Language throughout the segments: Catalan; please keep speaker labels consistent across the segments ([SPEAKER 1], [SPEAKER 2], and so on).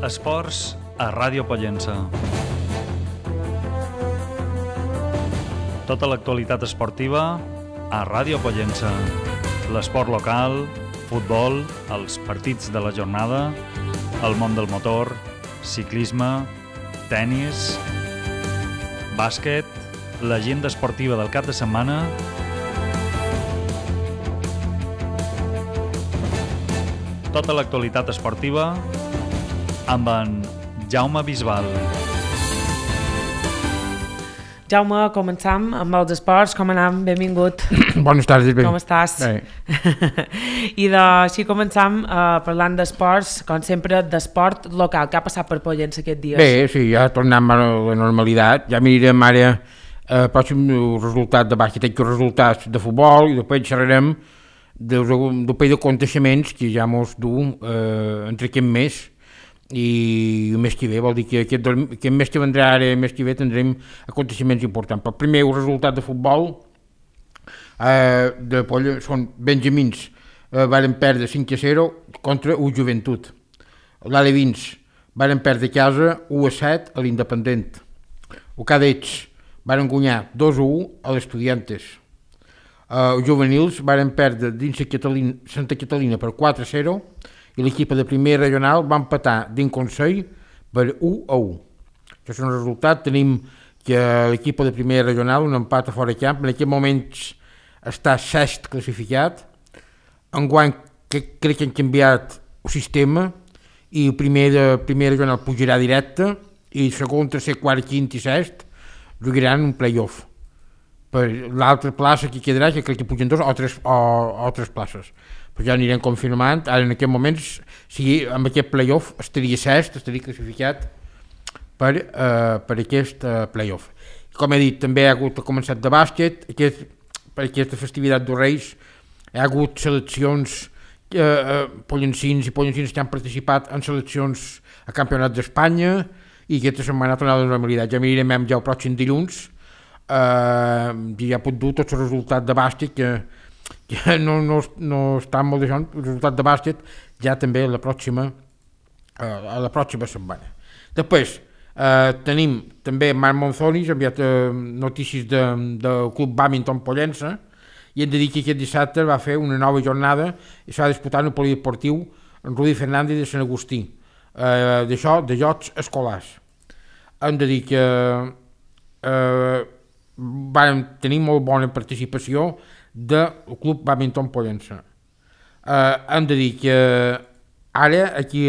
[SPEAKER 1] Esports a Ràdio Pollença. Tota l'actualitat esportiva a Ràdio Pollença. L'esport local, futbol, els partits de la jornada, el món del motor, ciclisme, tennis, bàsquet, l'agenda esportiva del cap de setmana, tota l'actualitat esportiva amb en Jaume Bisbal.
[SPEAKER 2] Jaume, començam amb els esports. Com anem? Benvingut.
[SPEAKER 3] Bones tardes.
[SPEAKER 2] Com estàs?
[SPEAKER 3] Bé.
[SPEAKER 2] I així començam parlant d'esports, com sempre, d'esport local. Què ha passat per Pollença aquests dies?
[SPEAKER 3] Bé, sí, ja tornem a la normalitat. Ja mirarem ara pròxim resultat de bàsquet, els resultats de futbol, i després xerrarem d'un parell d'aconteixements que ja mos du entre aquest mes i el mes que ve. Vol dir que aquest mes que vendrà ara, el mes que ve, tindrem aconteixements importants. Però primer, el resultat de futbol de Polla són benjamins, varen perdre 5-0 contra el Joventut. L'Alevins varen perdre a casa 1-7 a l'Independent. El Cadets varen guanyar 2-1 a l'Estudiantes. Els juvenils varen perdre dins Santa Catalina per 4-0 i l'equip de primera regional va empatar dins Consell per 1-1. Això és un resultat. Tenim que l'equip de primera regional, un empat a fora de camp, en aquest moment està sest classificat. Enguany crec que han canviat el sistema i el primer de primera regional pujarà directe i segon, tercer, quart, quint i sest jugaran un play-off. Per l'altra plaça que quedarà, que crec que pugen dos o tres places. Però ja anirem confirmant. Ara en aquest moment, si amb aquest play-off estaria sest, estaria classificat per aquest play-off. Com he dit, també ha hagut començat de bàsquet. Per aquesta festivitat dels Reis hi ha hagut seleccions pollencins i pollencins que han participat en seleccions a campionats d'Espanya i aquesta setmana ha tornat a la normalitat. Ja mirarem ja el pròxim dilluns. Ja ha pogut dur tots els resultats de bàsquet que no estan molt deixant. El resultat de bàsquet ja també a la pròxima setmana. Després tenim també Marc Monzonis, ha enviat notícies del Club Bàdminton Pollença, i hem de dir que aquest dissabte va fer una nova jornada i s'ha disputat en el polideportiu en Rudi Fernández de Sant Agustí, d'això, de jocs escolars. Hem de dir que vam tenir molt bona participació del Club Bàdminton Pollença. Hem de dir que ara, aquí,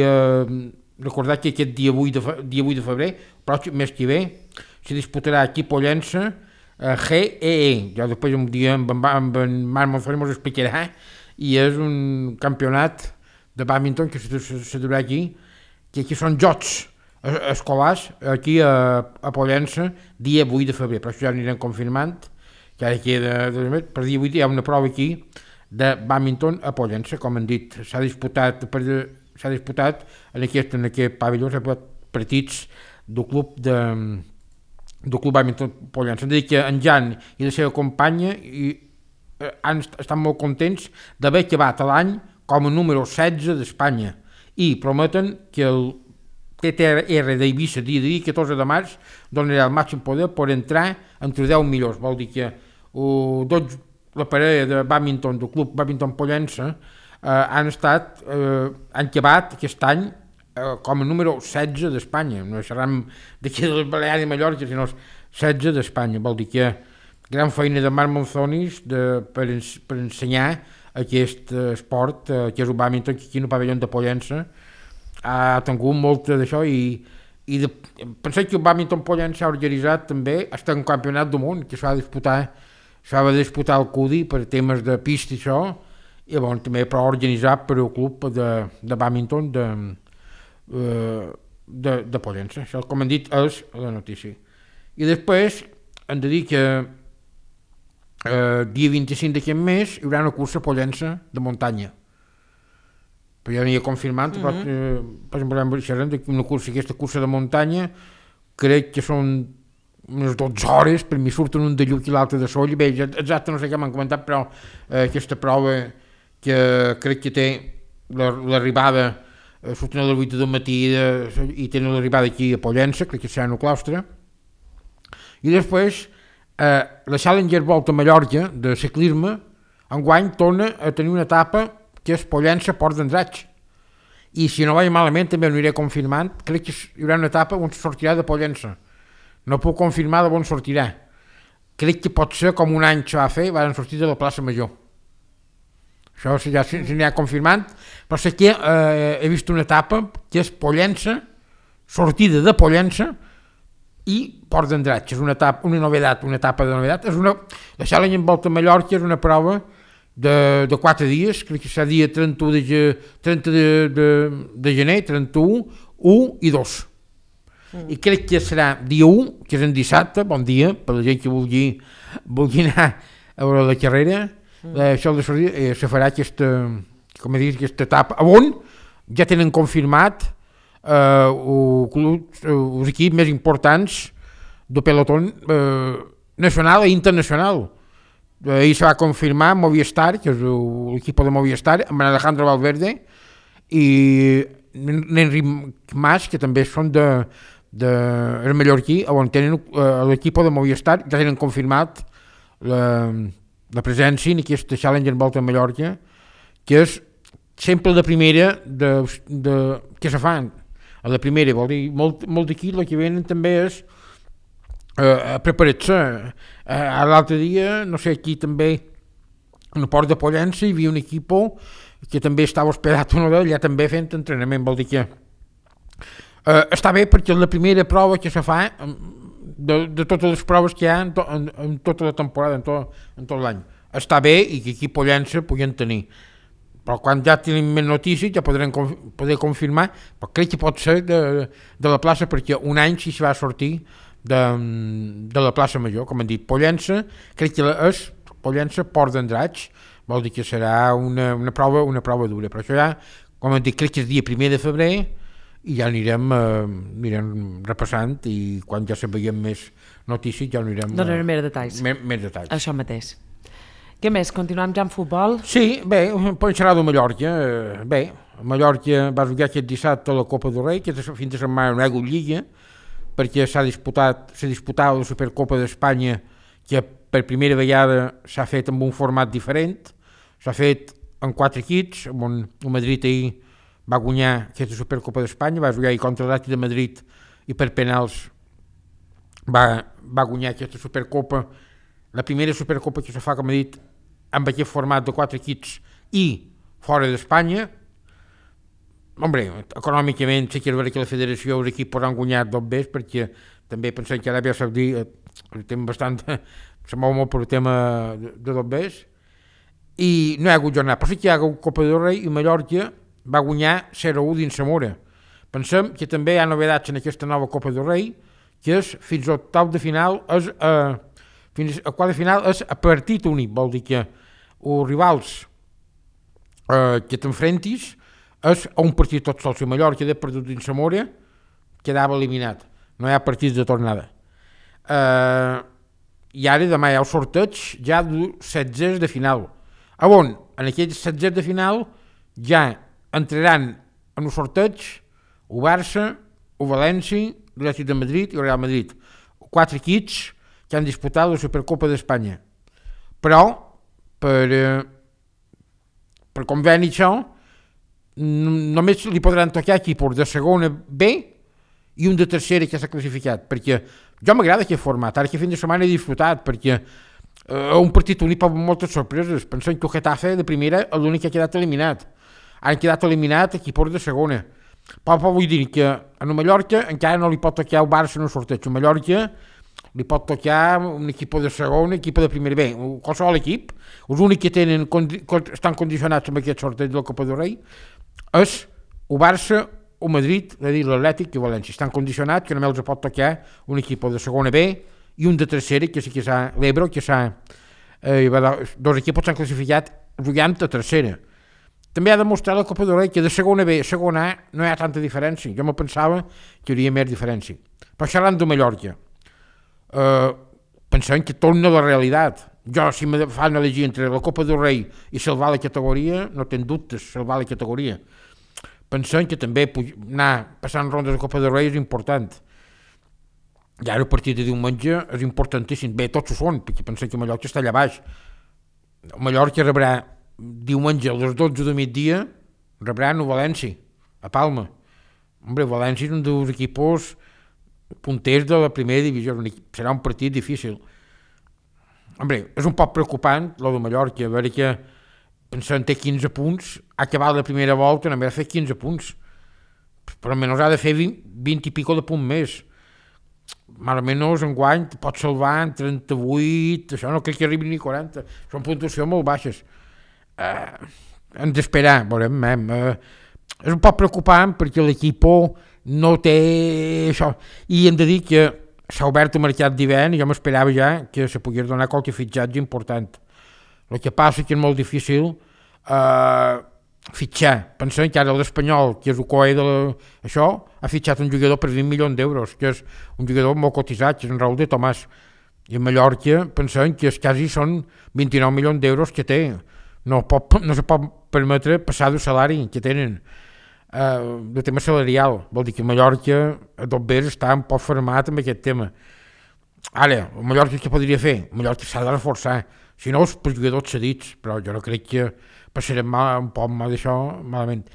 [SPEAKER 3] recordar que aquest dia 8 de febrer, pròxim mes que ve, se disputarà aquí a Pollença GEE. Ja després un dia amb en Marc Monzoni ens explicarà, i és un campionat de bàdminton que se durà aquí, que aquí són jocs escolars aquí a Pollença dia 8 de febrer, però això ja anirem confirmant, que ara queda per dia 8 hi ha una prova aquí de bàdminton a Pollença. Com han dit, s'ha disputat en aquest pavelló, s'ha disputat partits del club bàdminton Pollença. Hem de dir que en Jan i la seva companya estan molt contents d'haver acabat l'any com a número 16 d'Espanya i prometen que el TTR d'Eivissa, dia 14 de març, donarà el màxim poder per entrar entre 10 millors. Vol dir que la parella de bàdminton del Club Bàdminton Pollença han acabat aquest any com a número 16 d'Espanya. No serem d'aquí de les Balears i Mallorca, sinó 16 d'Espanya. Vol dir que gran feina de Marc Monzonis per ensenyar aquest esport, que és el bàdminton, que aquí en el pavelló de Pollença ha tingut molt d'això i pensem que el bàdminton Pollença s'ha organitzat també fins un campionat del món que s'ha de disputar al CUDI per temes de pista i això, i bon, també però organitzat per el club de bàdminton de Pollença. Això, com hem dit, és la notícia. I després hem de dir que dia 25 d'aquest mes hi haurà una cursa a Pollença de muntanya. Però ja n'hi ha confirmat, però per exemple, aquesta cursa de muntanya, crec que són unes 12 hores, per mi surten un de Lluc i l'altre de Soll, bé, exacte no sé què m'han comentat, però aquesta prova que crec que té l'arribada surten a les 8 del matí i tenen l'arribada aquí a Pollença, crec que serà en el claustre. I després la Challenger Volta a Mallorca de ciclisme enguany torna a tenir una etapa que és Pollença-Port d'Andratx. I si no vaig malament també ho aniré confirmant, crec que hi haurà una etapa on sortirà de Pollença. No puc confirmar d'on sortirà. Crec que pot ser com un any que va fer, van sortir de la plaça Major. Això ja s'anirà confirmant, però sé que he vist una etapa que és Pollença, sortida de Pollença i Port d'Andratx. És una etapa de novedat. La Challenger Volta a Mallorca és una prova de 4 dies, crec que serà dia 30 de gener, 31, 1 i 2. I crec que serà dia 1, que és en dissabte, bon dia, per la gent que vulgui anar a veure la carrera, això de sortir, se farà aquesta etapa, on ja tenen confirmat els equips més importants del pelotón nacional i internacional. Ahir se va confirmar Movistar, que és l'equip de Movistar, amb Alejandro Valverde i Enric Mas, que també són el mallorquí, on tenen l'equip de Movistar, ja tenen confirmat la presència en aquesta Challenger Volta a Mallorca, que és sempre la primera que se fan. A la primera, vol dir, molt d'aquí el que venen també és a preparar-se. L'altre dia, no sé, aquí també en el port de Pollença hi havia un equip que també estava hospedat allà també fent entrenament, vol dir que està bé perquè és la primera prova que se fa de totes les proves que hi ha en tota la temporada, en tot l'any. Està bé i que aquí a Pollença puguem tenir, però quan ja tenim més notícies ja poder confirmar, però crec que pot ser de la plaça, perquè un any si se va sortir de la plaça Major, com han dit, Pollença, crec que és Pollença-Port d'Andratx, vol dir que serà una prova dura, però això ja, com han dit, crec que és dia 1 de febrer i ja anirem repassant i quan ja sabíem més notícies ja anirem...
[SPEAKER 2] Donarem més detalls.
[SPEAKER 3] Més detalls.
[SPEAKER 2] Això mateix. Què més? Continuem ja amb futbol?
[SPEAKER 3] Sí, bé, podem xerrar de Mallorca. Bé, Mallorca va jugar aquest dissabte a la Copa del Rei, que fins de setmana no hi ha hagut lliga, perquè s'ha disputat la Supercopa d'Espanya, que per primera vegada s'ha fet amb un format diferent, s'ha fet en 4 equips, on el Madrid ahir va guanyar aquesta Supercopa d'Espanya, va jugar contra l'Atlètic de Madrid i per penals va guanyar aquesta Supercopa, la primera Supercopa que se fa, com he dit, amb aquest format de 4 equips i fora d'Espanya. Hombre, econòmicament sí que és veritat que la federació els equips podran guanyar 2 vegades, perquè també pensem que Aràbia Saudí se mou molt per el tema de 2 vegades, i no hi ha hagut jornada, però sí que hi ha hagut Copa del Rei i Mallorca va guanyar 0-1 dins Zamora. Pensem que també hi ha novedats en aquesta nova Copa del Rei, que és fins al octau de final, fins al quart de final és a partit únic, vol dir que els rivals que t'enfrentis és a un partit tot sol. Si Mallorca ha perdut dins Zamora, quedava eliminat, no hi ha partits de tornada. I ara demà hi ha el sorteig ja dels 16 de final, on en aquells 16 de final ja entraran en el sorteig el Barça, el València, l'Atlètic de Madrid i el Real Madrid, 4 equips que han disputat la Supercopa d'Espanya. Però per conveni això només li podran tocar equips de segona B i un de tercera que s'ha classificat, perquè jo m'agrada aquest format, ara que fin de setmana he disfrutat, perquè un partit únic pot moltes sorpreses. Pensem que el Getafe de primera és l'únic que ha quedat eliminat, han quedat eliminat equips de segona, però vull dir que a Mallorca encara no li pot tocar el Barça en el sorteig. A Mallorca li pot tocar un equip de segona, un equip de primera B, qualsevol equip. Els únics que estan condicionats amb aquest sorteig de la Copa del Rei és el Barça, el Madrid, l'Atlètic i el València. Estan condicionats que només els pot tocar un equip de segona B i un de tercera, que sí que s'ha l'Ebro, que s'ha... 2 equips s'han classificat jugant a tercera. També ha demostrat la Copa del Rei que de segona B a segona A no hi ha tanta diferència. Jo me pensava que hi hauria més diferència. Però xerrant de Mallorca, pensem que torna a la realitat. Jo, si me fan elegir entre la Copa del Rei i salvar la categoria, no tenc dubtes, salvar la categoria. pensant que també anar passant rondes de Copa del Rei és important. I ara el partit de diumenge és importantíssim. Bé, tots ho són, perquè pensem que Mallorca està allà baix. Mallorca rebrà diumenge a les 12 de migdia, rebrà el València, a Palma. Hombre, València és un dels equipos punters de la primera divisió, serà un partit difícil. Hombre, és un poc preocupant, lo de Mallorca, a veure que pensant té 15 punts, ha acabat la primera volta, només ha fet 15 punts, però almenys ha de fer 20 i pico de punt més. Més o menys enguany pot salvar en 38, això no crec que arribi ni 40, són puntuacions molt baixes. Hem d'esperar, veurem. És un poc preocupant perquè l'equip no té això, i hem de dir que s'ha obert el mercat d'hivern i jo m'esperava ja que se pogués donar qualque fitxatge important. El que passa que és molt difícil fitxar. Pensem que ara l'Espanyol, que és el coe d'això, ha fitxat un jugador per 20 milions d'euros, que és un jugador molt cotitzat, que és en Raúl de Tomàs. I a Mallorca pensem que quasi són 29 milions d'euros que té. No se pot permetre passar del salari que tenen. El tema salarial, vol dir que Mallorca a tot bé està un poc format amb aquest tema. Ara, Mallorca què podria fer? Mallorca s'ha de reforçar, si no els jugadors cedits, però jo no crec que passarem un poc d'això malament.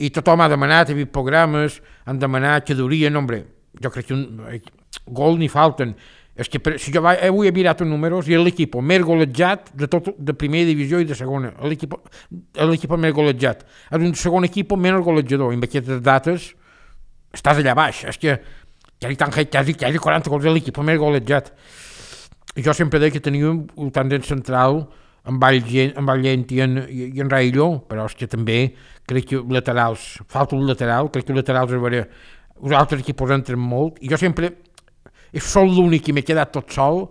[SPEAKER 3] I tothom ha demanat, ha vist programes, han demanat que durien, hombre, jo crec que gol n'hi falten. És que si jo avui he mirat els números i és l'equip més golejat de primera divisió i de segona. L'equip més golejat. És un segon equip menys golejador. I amb aquestes dates estàs allà baix. És que quasi 40 gols de l'equip més golejat. I jo sempre deia que teníem un tendent central amb Vallent i en Raïlló, però és que també crec que laterals, falta un lateral, crec que els laterals els altres equips entren molt. I jo sempre soc l'únic que m'he quedat tot sol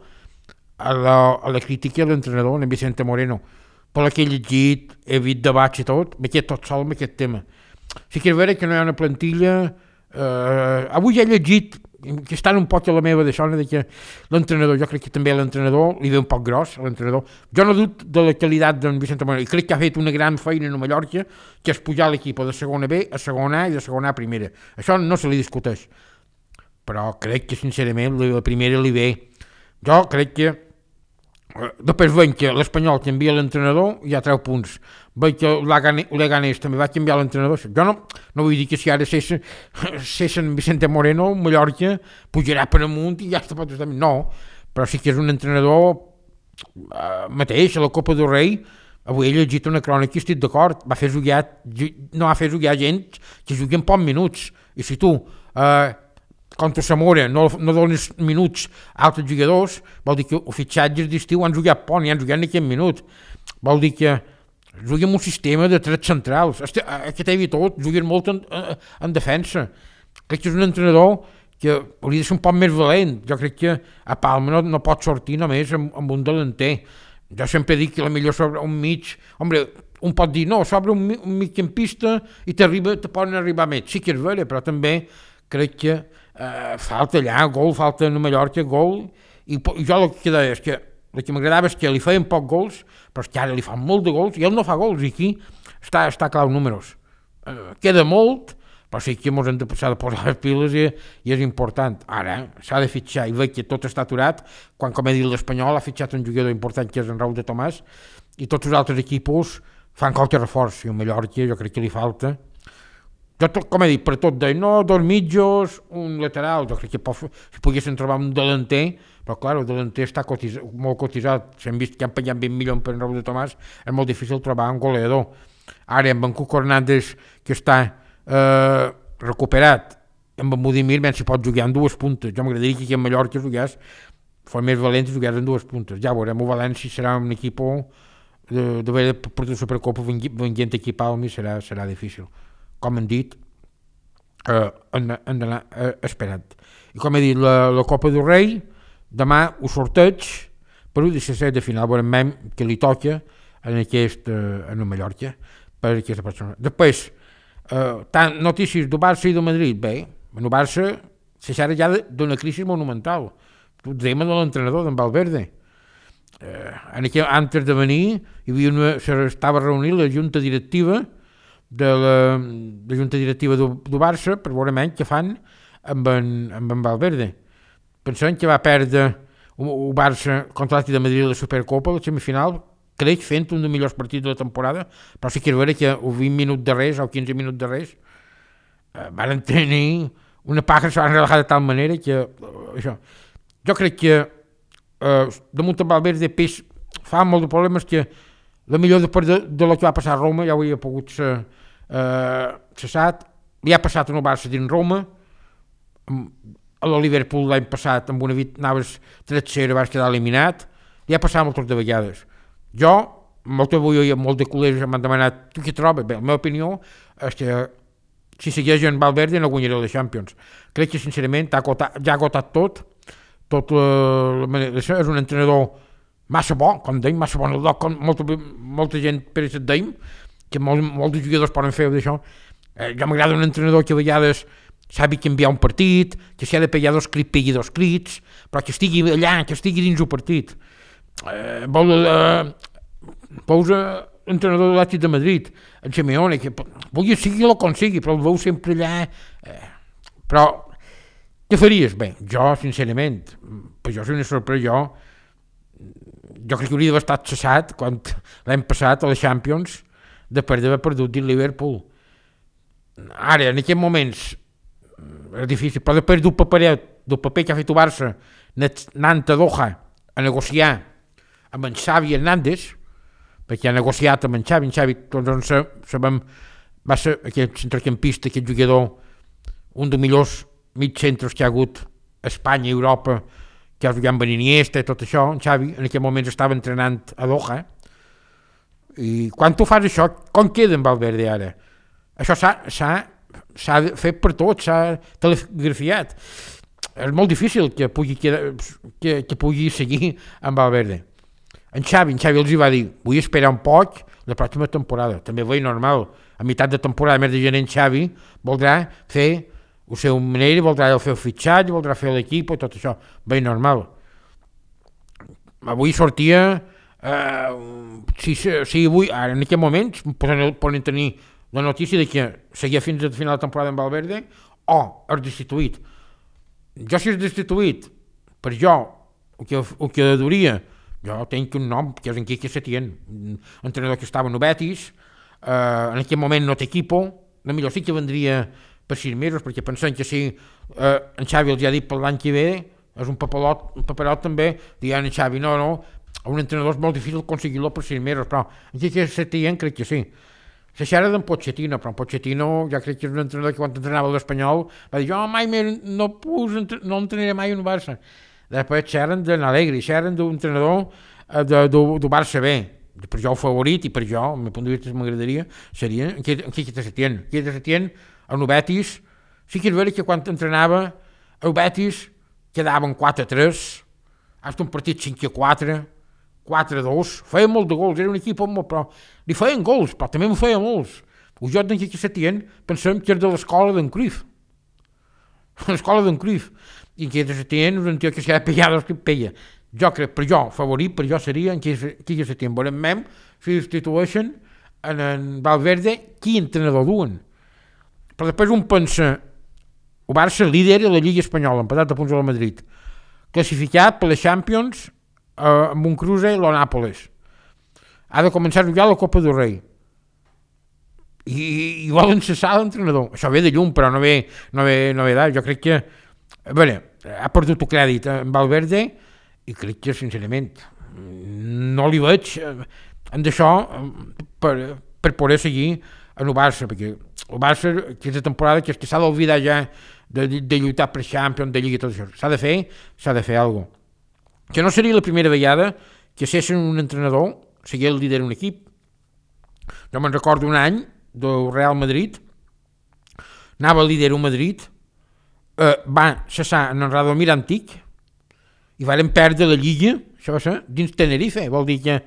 [SPEAKER 3] a la crítica de l'entrenador, en Vicente Moreno. Per la que he llegit, he vist debats i tot, m'he quedat tot sol amb aquest tema. Sí que és vera que no hi ha una plantilla. Avui he llegit que estan un poc a la meva d'això, que l'entrenador, jo crec que també l'entrenador li ve un poc gros, l'entrenador. Jo no dubto de la qualitat d'en Vicente Moreno i crec que ha fet una gran feina a Mallorca, que és pujar l'equip de segona B a segona A i de segona A a primera. Això no se li discuteix. Però crec que sincerament la primera li ve. Jo crec que després veig que l'Espanyol canvia l'entrenador i ja treu punts. Veig que l'Eganés també va canviar l'entrenador. Jo no vull dir que si ara cesen Vicente Moreno, Mallorca pujarà per amunt i ja està pot estar. No, però sí que és un entrenador mateix a la Copa del Rei. Avui he llegit una crònica i estic d'acord. No va fer jugar gent que jugui en pocs minuts. I si tu contra Zamora no dones minuts a altres jugadors, vol dir que els fitxatges d'estiu han jugat poc, ni han jugat ni 15 minuts. Vol dir que juguen un sistema de tres centrals. Aquest he vist tot, juguen molt en defensa. Crec que és un entrenador que hauria de ser un poc més valent. Jo crec que a Palma no pot sortir només amb un delanter. Jo sempre dic que la millor sobre un mig... Hombre, un pot dir, no, sobre un migcampista i te poden arribar més. Sí que és vera, però també crec que falta allà gol, falta a Mallorca gol, i jo el que deia és que el que m'agradava és que li feien poc gols, però és que ara li fan molt de gols i ell no fa gols, i aquí està clar números. Queda molt, però sí que s'ha de posar les piles i és important. Ara s'ha de fitxar i veig que tot està aturat, quan, com he dit, l'Espanyol ha fitxat un jugador important que és en Raúl de Tomàs, i tots els altres equips fan qualque reforç, i a Mallorca jo crec que li falta. Jo, com he dit, per tot deia, no, dos mitjos, un lateral, jo crec que si poguessin trobar un delanter, però clar, el delanter està molt cotitzat, s'han vist que han pagat 20 milions per en Raúl de Tomàs, és molt difícil trobar un goleador. Ara, amb en Cuco Hernández, que està recuperat, amb en Budimir, ben si pot jugar en dues puntes. Jo m'agradaria que aquí a Mallorca jugués, fos més valent i jugués en dues puntes. Ja veurem, el València serà un equip de per la Supercopa venint aquí a Palma i serà difícil. Com hem dit, han d'anar esperant. I com he dit, la Copa del Rei, demà ho sorteig per un 17 de final, veurem que li toca en el Mallorca per aquesta persona. Després, tant notícies del Barça i del Madrid, bé, en el Barça se xerra ja d'una crisi monumental. Tu dèiem de l'entrenador, d'en Valverde. Antes de venir, estava reunint la junta directiva de la junta directiva del Barça per veure menys què fan amb en Valverde. Pensem que va perdre el Barça contra l'Atlètic de Madrid a la Supercopa, a la semifinal, crec fent un dels millors partits de la temporada, però sí que és vera que els 20 minuts de res o 15 minuts de res van tenir una paja, se van relajar de tal manera que això. Jo crec que damunt el Valverde pes fa molt de problemes que la millor després de lo que va passar a Roma ja ho havia pogut ser cessat, li ha passat en el Barça dins Roma, a l'Liverpool l'any passat amb una anaves 3-0 vas quedar eliminat, li ha passat moltes de vegades. Jo, molt de col·legs m'han demanat tu què trobes? Bé, la meva opinió és que si segueix en Valverde no guanyaré la Champions. Crec que sincerament ja ha agotat tot és un entrenador massa bo, com deim, massa bon, molta gent per això deim, que molts jugadors poden fer d'això. Jo m'agrada un entrenador que a vegades sabi canviar un partit, que si ha de pegar dos crits, pegui dos crits, però que estigui allà, que estigui dins el partit. Posa entrenador de l'Atlètic de Madrid, en Simeone, que vulgui sigui el com sigui, però el veu sempre allà. Però què faries? Bé, jo, sincerament, per jo soy una sorpresa, jo crec que hauria d'haver estat cessat quan l'any passat a la Champions després d'haver perdut dins Liverpool. Ara, en aquests moments, és difícil, però després del paper que ha fet el Barça anant a Doha a negociar amb en Xavi Hernández, perquè ha negociat amb en Xavi, tots sabem, va ser aquest centrocampista, aquest jugador, un dels millors mitjcentres que hi ha hagut a Espanya i Europa, que ha jugat amb Iniesta i tot això. En Xavi en aquell moment estava entrenant a Doha, i quan tu fas això, com queda en Valverde ara? Això s'ha fet per tot, s'ha telegrafiat. És molt difícil que pugui seguir amb Valverde. En Xavi els va dir, vull esperar un poc la pròxima temporada. També veig normal, a meitat de temporada, més de gener, en Xavi voldrà fer la seva manera, voldrà fer el fitxatge, voldrà fer l'equip i tot això. Veig normal. Avui sortia, avui, ara en aquest moment, poden tenir la notícia de que seguia fins al final de temporada amb Valverde o és destituït. Jo si és destituït, per jo, el que duria, jo tenc un nom, que és en Quique Setién, un entrenador que estava en Betis, en aquest moment no té equipo, la millor sí que vendria per 6 mesos, perquè pensem que si en Xavi els ha dit per l'any que ve, és un paperot també, dient en Xavi, no, un entrenador és molt difícil aconseguir-lo per 6 mesos, però en Quique Setién crec que sí. Se xerra d'en Pochettino, però en Pochettino ja crec que és un entrenador que quan entrenava l'Espanyol va dir, jo mai no entrenaré mai en Barça. Després xerren de l'Alegri, xerren d'un entrenador del Barça B. Per jo el favorit i per jo, al meu punt de vista m'agradaria, seria en Quique Setién. Quique Setién, el Betis, sí que és vera que quan entrenava el Betis quedaven 4-3, hasta un partit 5-4, 4-2, feia molt de gols, era un equip molt, però li feien gols, però també en feia molts. El joc d'en Quique Setién pensem que és de l'escola d'en Cruyff. L'escola d'en Cruyff. I en Quique Setién és un tio que s'ha de pegar dos que peia. Jo crec, per jo, favorit per jo seria en Quique Setién. Veurem mem si substitueixen en Valverde, qui entrenador duen. Però després un pensa, el Barça líder de la Lliga Espanyola, empatat a punts a la Madrid, classificat per les Champions amb un cruce a Nàpoles. Ha de començar a jugar la Copa del Rei. I volen cessar l'entrenador. Això ve de llum, però no ve d'ara. Jo crec que ha perdut el crèdit en Valverde i crec que, sincerament, no li veig en d'això per poder seguir en el Barça, perquè el Barça, aquesta temporada, que s'ha d'oblidar ja de lluitar per Champions, de Lliga i tot això. S'ha de fer alguna cosa. Que no seria la primera vegada que cessin un entrenador, sigui el líder d'un equip. Jo me'n recordo un any del Real Madrid, anava el líder un Madrid, va cessar en Radomir Antic i varen perdre la Lliga, això va ser, dins Tenerife. Vol dir que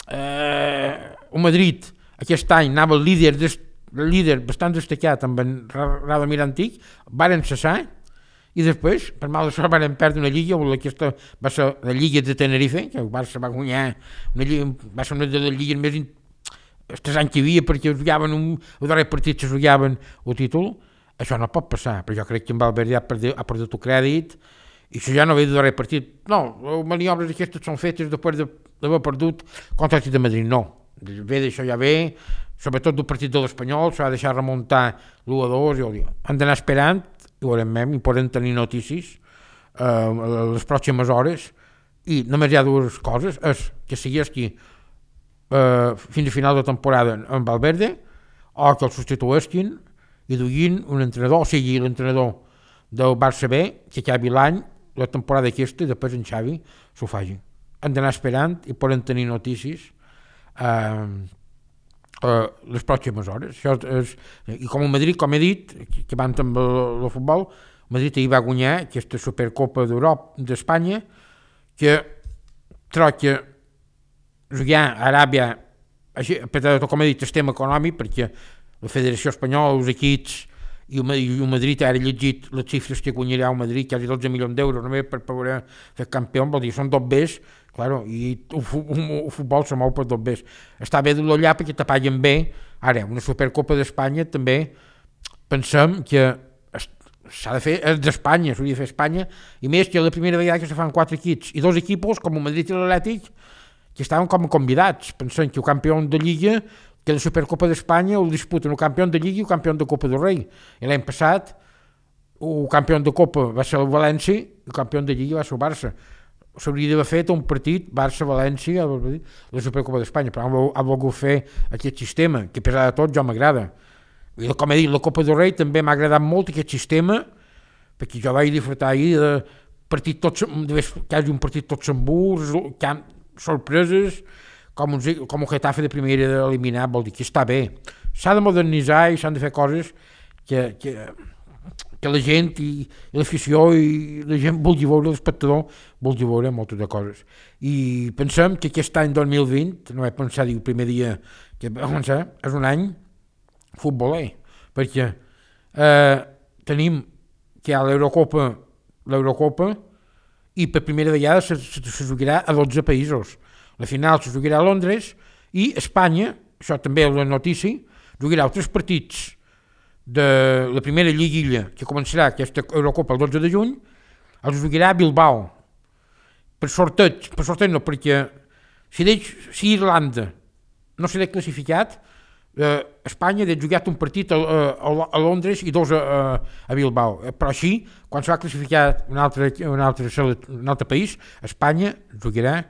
[SPEAKER 3] el Madrid aquest any anava el líder bastant destacat amb en Radomir Antic, varen cessar i després, per mal de sort, van perdre una lliga, aquesta va ser la Lliga de Tenerife, que el Barça va guanyar, va ser una de les lligues més els 3 anys que hi havia perquè jugaven el darrer partit se jugaven el títol, això no pot passar, però jo crec que en Valverde ha perdut el crèdit i això ja no ve del darrer partit. No, les maniobres aquestes són fetes després d'haver perdut contra el de Madrid, no. Ve d'això ja ve, sobretot del partit de l'Espanyol, s'ha de deixar remuntar l'1-2, han d'anar esperant, i veurem, i podem tenir notícies les pròximes hores, i només hi ha dues coses, és que segueixi fins a final de temporada en Valverde, o que el substitueixin i duguin un entrenador, o sigui, l'entrenador del Barça B, que acabi l'any, la temporada aquesta, i després en Xavi s'ho faci. Han d'anar esperant i poden tenir notícies les pròximes hores. Això és, i com el Madrid, com he dit, que van amb el futbol, el Madrid ahir va guanyar aquesta Supercopa d'Espanya, que trobo que jugar a Aràbia, com he dit, el tema econòmic, perquè la Federació Espanyola, els equips i el Madrid, ara he llegit les xifres que guanyarà el Madrid, quasi 12 milions d'euros només per poder fer campió, vol dir, són dos bés, claro, i el futbol se mou per dos bés. Està bé d'allà perquè te paguen bé. Ara, una Supercopa d'Espanya també pensem que s'ha de fer, és d'Espanya, s'hauria de fer Espanya, i més que la primera vegada que se fan 4 equips i 2 equipos, com el Madrid i l'Atlètic, que estaven com a convidats, pensant que el campió de Lliga, que la Supercopa d'Espanya el disputen el campió de Lliga i el campió de Copa del Rei. I l'any passat el campió de Copa va ser el València i el campió de Lliga va ser el Barça. S'hauria d'haver fet un partit Barça-València, la Supercopa d'Espanya, però ha volgut fer aquest sistema, que a pesar de tot jo m'agrada. I com he dit, la Copa del Rei també m'ha agradat molt aquest sistema, perquè jo vaig disfrutar ahir de partit tots, quasi un partit tots emburs, sorpreses, com el Getafe de primera eliminat, vol dir que està bé. S'ha de modernitzar i s'han de fer coses que la gent i l'afició i la gent vulgui veure, l'espectador vulgui veure moltes de coses. I pensem que aquest any 2020, no he pensat el primer dia que va començar, és un any futboler, perquè tenim que hi ha l'Eurocopa i per primera vegada se jugarà a 12 països. La final se jugarà a Londres i Espanya, això també és una notícia, jugarà els 3 partits de la primera lliguilla que començarà aquesta Eurocopa el 12 de juny, els jugarà a Bilbao. Per sorteig no, perquè si Irlanda no serà classificat, Espanya ha jugat un partit a Londres i 2 a Bilbao. Però així, quan s'ha classificat un altre país, Espanya jugarà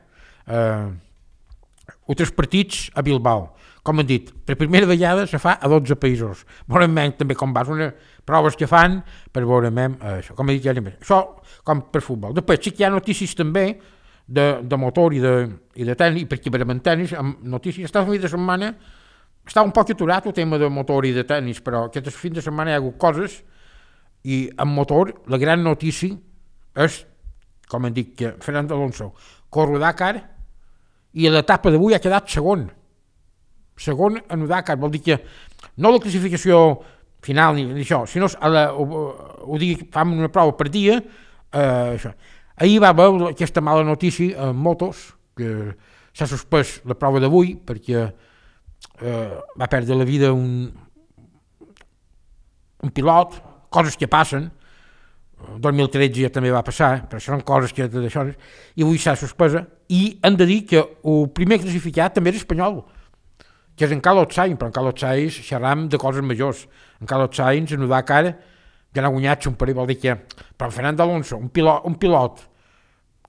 [SPEAKER 3] altres partits a Bilbao. Com hem dit, per primera vegada se fa a 12 països. Veurem també com va, unes proves que fan per veurem això. Com he dit, això com per futbol. Després sí que hi ha notícies també de motor i de tenis, perquè per tenis, notícies, aquesta fin de setmana està un poc aturat el tema de motor i de tenis, però aquest fin de setmana hi ha hagut coses i en motor la gran notícia és, com hem dit, que Fernando Alonso corre a Dakar i a l'etapa d'avui ha quedat segon en el Dakar, vol dir que no la classificació final ni això, sinó ho dic, fan una prova per dia, això. Ahir va haver aquesta mala notícia en motos, que s'ha suspès la prova d'avui perquè va perdre la vida un pilot, coses que passen. El 2013 ja també va passar, però són coses que d'això, i avui s'ha suspesa, i hem de dir que el primer classificat també és espanyol, que és en Carlos Sainz, però en Carlos Sainz xerram de coses majors. En Carlos Sainz en el Dakar ja n'ha guanyat un parell, vol dir que... Però en Fernando Alonso, un pilot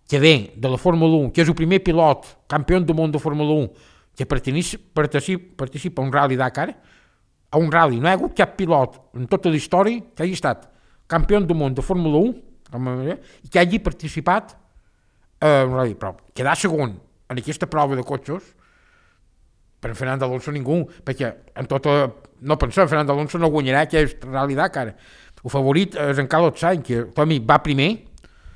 [SPEAKER 3] que ve de la Fórmula 1, que és el primer pilot campió del món de Fórmula 1 que participa a un rally Dakar, a un rally, no hi ha hagut cap pilot en tota la història que hagi estat campió del món de Fórmula 1 i que hagi participat a un rally, però quedar segon en aquesta prova de cotxes per Fernando Alonso ningú, perquè no pensem, Fernando Alonso no guanyarà aquest rally Dakar. El favorit és en Carlos Sainz, que Tomi va primer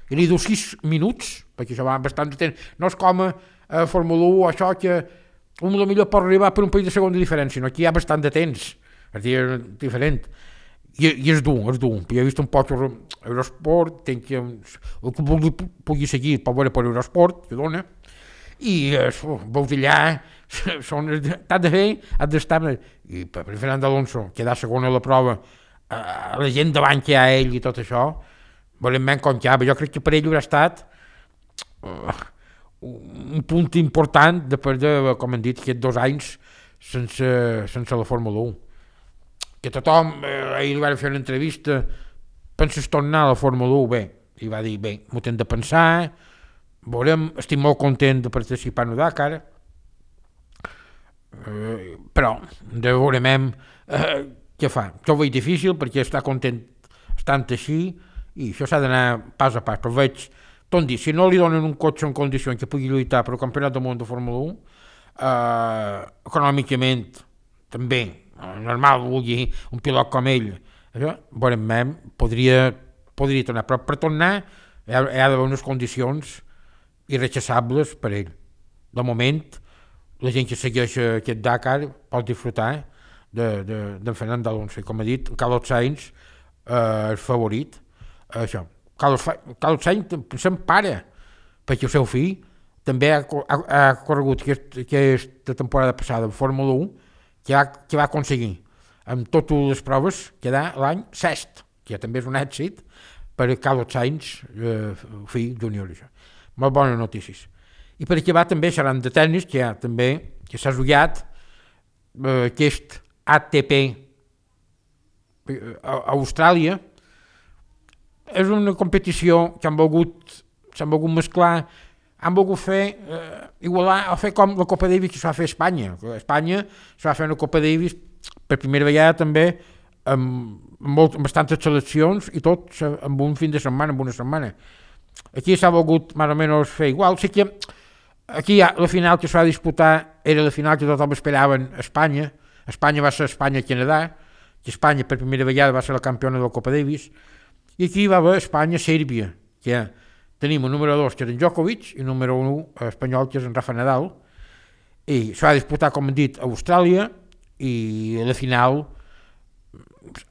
[SPEAKER 3] i li diu 6 minuts, perquè això va bastant de temps, no és com a Fórmula 1 això que potser pot arribar per un parell de segons de diferència, no? Aquí hi ha bastant de temps, és dir, diferent. I és dur. Jo he vist un poc Eurosport, el que pugui seguir pot veure per Eurosport, que dona, i veus allà t'has de fer, has d'estar... I per Fernando Alonso quedar segon a la prova, la gent davant que hi ha ell i tot això, volem com que jo crec que per ell haurà estat un punt important després de, com hem dit, aquests 2 anys sense la Fórmula 1. Que tothom, ahir li van fer una entrevista, penses tornar a la Fórmula 1? Bé, i va dir, bé, m'ho hem de pensar, veurem, estic molt content de participar en el Dakar, però veurem què fa. Jo ho veig difícil perquè està content estant així i això s'ha d'anar pas a pas, però veig, tot dir, si no li donen un cotxe en condicions que pugui lluitar per el Campionat del Món de Fórmula 1, econòmicament també, normal vulgui un pilot com ell, això, veurem, podria tornar, però per tornar hi ha d'haver unes condicions irrechaçables per ell. De moment, la gent que segueix aquest Dakar pot disfrutar d'en Fernando Alonso. Com he dit, Carlos Sainz és favorit. Això. Carlos Sainz se'n para, perquè el seu fill també ha corregut aquesta temporada passada en Fórmula 1, que va aconseguir amb totes les proves quedar l'any 6, que també és un èxit per Carlos Sainz, fill júnior. Molt bones notícies. I per acabar també seran de tennis, que s'ha jugat aquest ATP a Austràlia. És una competició que s'han volgut mesclar, han volgut fer, igualar, o fer com la Copa Davis que s'ha fet a Espanya. A Espanya s'ha fet una Copa Davis per primera vegada també amb bastantes seleccions i tot amb un fin de setmana, amb una setmana. Aquí s'ha volgut més o menys fer igual. Sí que aquí la final que s'ha de disputar era la final que tothom esperaven a Espanya. Espanya va ser Espanya-Canadà, que Espanya per primera vegada va ser la campiona de la Copa Davis, i aquí va haver Espanya-Sèrbia, que tenim el número 2, que és en Djokovic, i el número 1 espanyol, que és en Rafa Nadal, i s'ha de disputar, com hem dit, a Austràlia, i la final,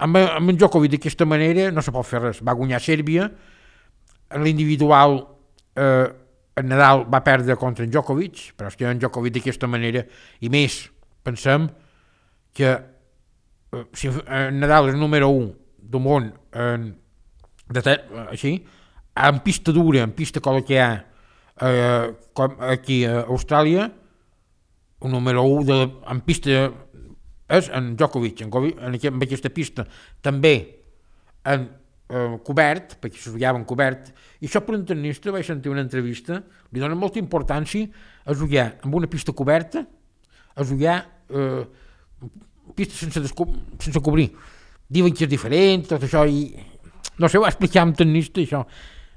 [SPEAKER 3] amb en Djokovic d'aquesta manera no se pot fer res. Va guanyar Sèrbia, en l'individual en Nadal va perdre contra en Djokovic, però és que en Djokovic d'aquesta manera, i més, pensem que si en Nadal és el número 1 del món així, en pista dura, en pista com que hi ha com aquí a Austràlia, el número 1 en pista és en Djokovic, en aquesta pista, també en cobert, perquè se jugava en cobert, i això per un tennista, vaig sentir una entrevista, li dona molta importància a jugar amb una pista coberta, a jugar pista sense cobrir. Diuen que és diferent, tot això, i no sé, ho va explicar amb tennista, això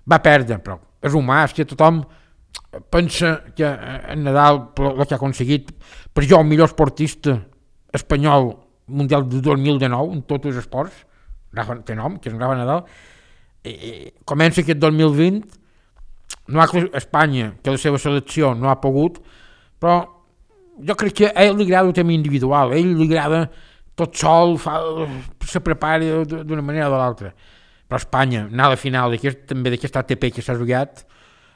[SPEAKER 3] va perdre, però és humà, és que tothom pensa que en Nadal, el que ha aconseguit, per jo, el millor esportista espanyol mundial de 2019 en tots els esports, té nom, que és en Rafa Nadal, comença aquest 2020, no ha Espanya, que la seva selecció no ha pogut, però jo crec que a ell li agrada el tema individual, a ell li agrada tot sol, se prepara d'una manera o de l'altra, però Espanya, anar a la final també d'aquest ATP que s'ha jugat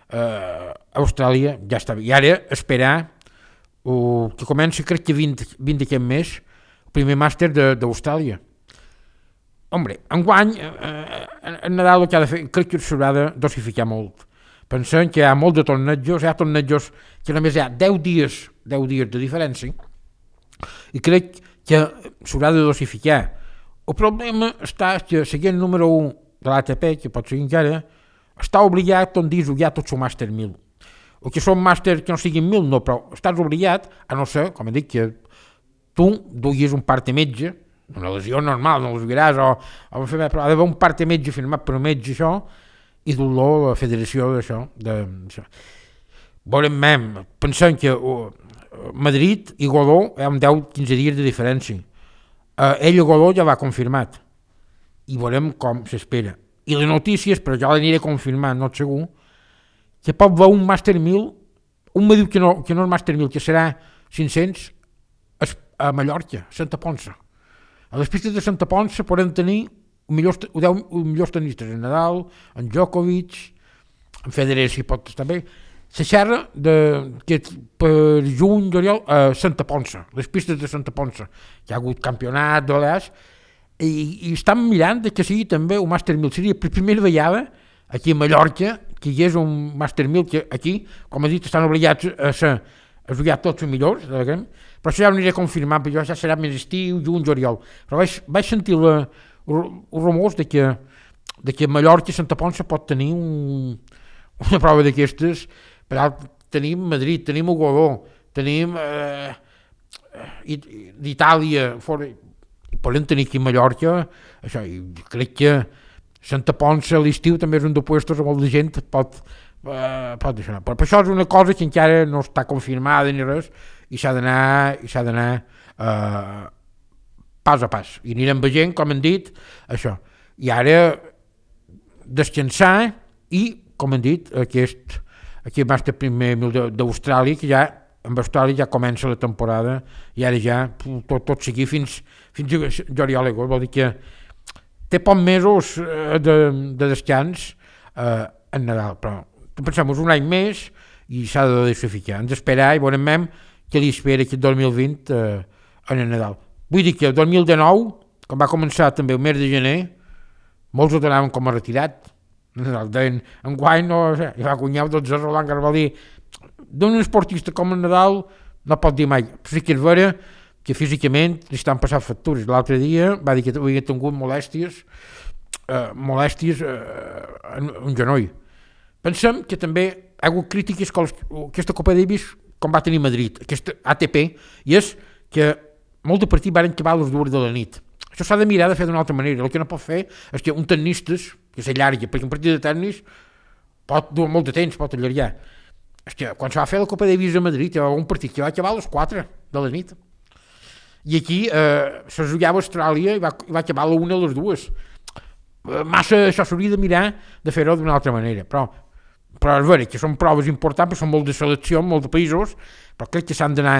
[SPEAKER 3] a Austràlia, ja està bé, i ara esperar que comença, crec que 20 d'aquest mes, el primer màster d'Austràlia. Hombre, enguany, en Nadal el que ha de fer, crec que s'haurà de dosificar molt. Pensem que hi ha molt de tornejos, hi ha tornejos que només hi ha 10 dies de diferència, i crec que s'haurà de dosificar. El problema està que seguint el número 1 de l'ATP, que pot seguir encara, està obligat a jugar tot el màster 1000. O que són màsters que no siguin 1000, no, però estàs obligat, a no ser, com he dit, que tu duguis un part de metge, una lesió normal, no els jugaràs, però ha d'haver un part de metge firmat per un metge, això, i dur-lo a la federació d'això. Veurem, pensem que Madrid i Godó hi ha 10-15 dies de diferència. Ell a Godó ja va confirmat, i veurem com s'espera. I les notícies, però jo l'aniré confirmant, no segur, que pot haver un màster 1000, un me diu que no és màster 1000, que serà 500 a Mallorca, Santa Ponça. A les pistes de Santa Ponça podem tenir millors tenistes, en Nadal, en Djokovic, en Federer si pot estar bé. la xerra que per juny, juliol, a Santa Ponça, les pistes de Santa Ponça. Hi ha hagut campionat de l'EAS i estan mirant que sigui també un Master 1000. Seria per primera vegada aquí a Mallorca que hi hagués un Master 1000 que aquí, com he dit, estan obligats a jugar tots els millors, però això ja ho aniré confirmant, perquè ja serà més estiu, juny, juliol. Però vaig sentir els rumors de que Mallorca i Santa Ponça pot tenir una prova d'aquestes. Per alt, tenim Madrid, tenim Ugodó, tenim d'Itàlia, i podem tenir aquí a Mallorca, això, i crec que Santa Ponça a l'estiu també és un de puestos on molta gent pot deixar. Però això és una cosa que encara no està confirmada ni res, i s'ha d'anar pas a pas. I anirem veient, com hem dit, això. I ara descansar i, com hem dit, aquest Master primer 1000 d'Austràlia, que ja amb Austràlia ja comença la temporada i ara ja tot seguir fins a juliol i agost. Vol dir que té pocs mesos de descans en Nadal, però pensem un any més i s'ha de deixar. Ens esperar i veurem què li espera aquest 2020 en el Nadal. Vull dir que el 2019, quan va començar també el mes de gener, molts ho donaven com a retirat. Deien, enguany i va guanyar 12 Roland Garros. Va dir, d'un esportista com el Nadal no pot dir mai. Però sí que és vera que físicament li estan passant factures. L'altre dia va dir que havia tingut molèsties en un genoll. Pensem que també ha hagut crítiques que aquesta Copa Davis, com va tenir Madrid, aquesta ATP, i és que molts de partits van acabar a les 2 de la nit. Això s'ha de mirar de fer d'una altra manera. El que no pot fer és que un tennistes, que s'allarga, perquè un partit de tennis pot dur molt de temps, pot allargar. És que quan se va fer la Copa Davis a Madrid, hi va un partit que va acabar a les 4 de la nit. I aquí se jugava a Austràlia i va acabar a la 1 a les 2. Massa això s'hauria de mirar de fer-ho d'una altra manera. Però és vera que són proves importants, perquè són molt de selecció, molt de països, però crec que s'han d'anar...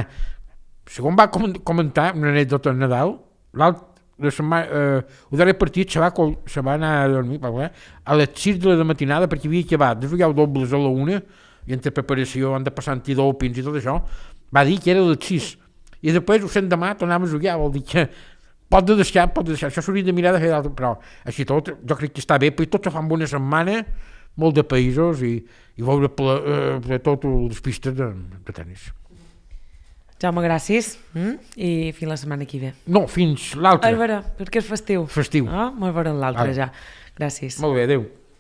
[SPEAKER 3] Segons va comentar una anècdota a Nadal, el darrer partit se va anar a dormir a les 6 de la matinada perquè havia acabat de jugar dobles a la 1 i entre preparació han de passar antidopings i tot això. Va dir que era a les 6 i després ho sent demà tornàvem a jugar. Vol dir que pot deixar, això s'hauria de mirar de fer d'altre, però així tot jo crec que està bé, perquè tots fan una setmana, molt de països i veure totes les pistes de tennis.
[SPEAKER 2] Jaume, gràcies i fins la setmana que ve.
[SPEAKER 3] No, fins l'altre.
[SPEAKER 2] És vera, perquè és festiu.
[SPEAKER 3] Festiu.
[SPEAKER 2] Molt veurem l'altre ja. Gràcies.
[SPEAKER 3] Molt bé, adéu.